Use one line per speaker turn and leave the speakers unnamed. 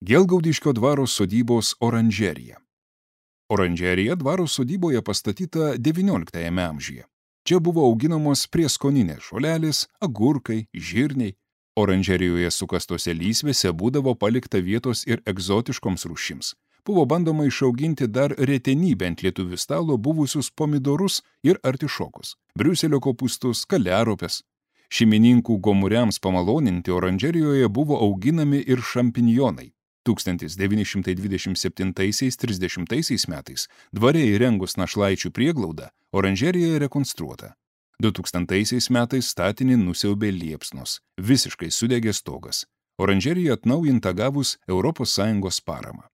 Gelgaudiškio dvaro sodybos oranžerija. Oranžerija dvaro sodyboje pastatyta XIX amžiuje. Čia buvo auginamos prieskoninės žolelės, agurkai, žirniai. Oranžerijoje sukastose lysvėse būdavo palikta vietos ir egzotiškoms rūšims. Buvo bandoma išauginti dar retenybę ant lietuvių stalo buvusius pomidorus ir artišokus, briuselio kopūstus, kaliaropes. Šeimininkų gomuriams pamaloninti oranžerijoje buvo auginami ir šampinjonai. 1927–30 metais dvare įrengus našlaičių prieglaudą, oranžerija rekonstruota. 2000 metais statinį nusiaubė liepsnos, visiškai sudegė stogas. Oranžerija atnaujinta gavus ES paramą.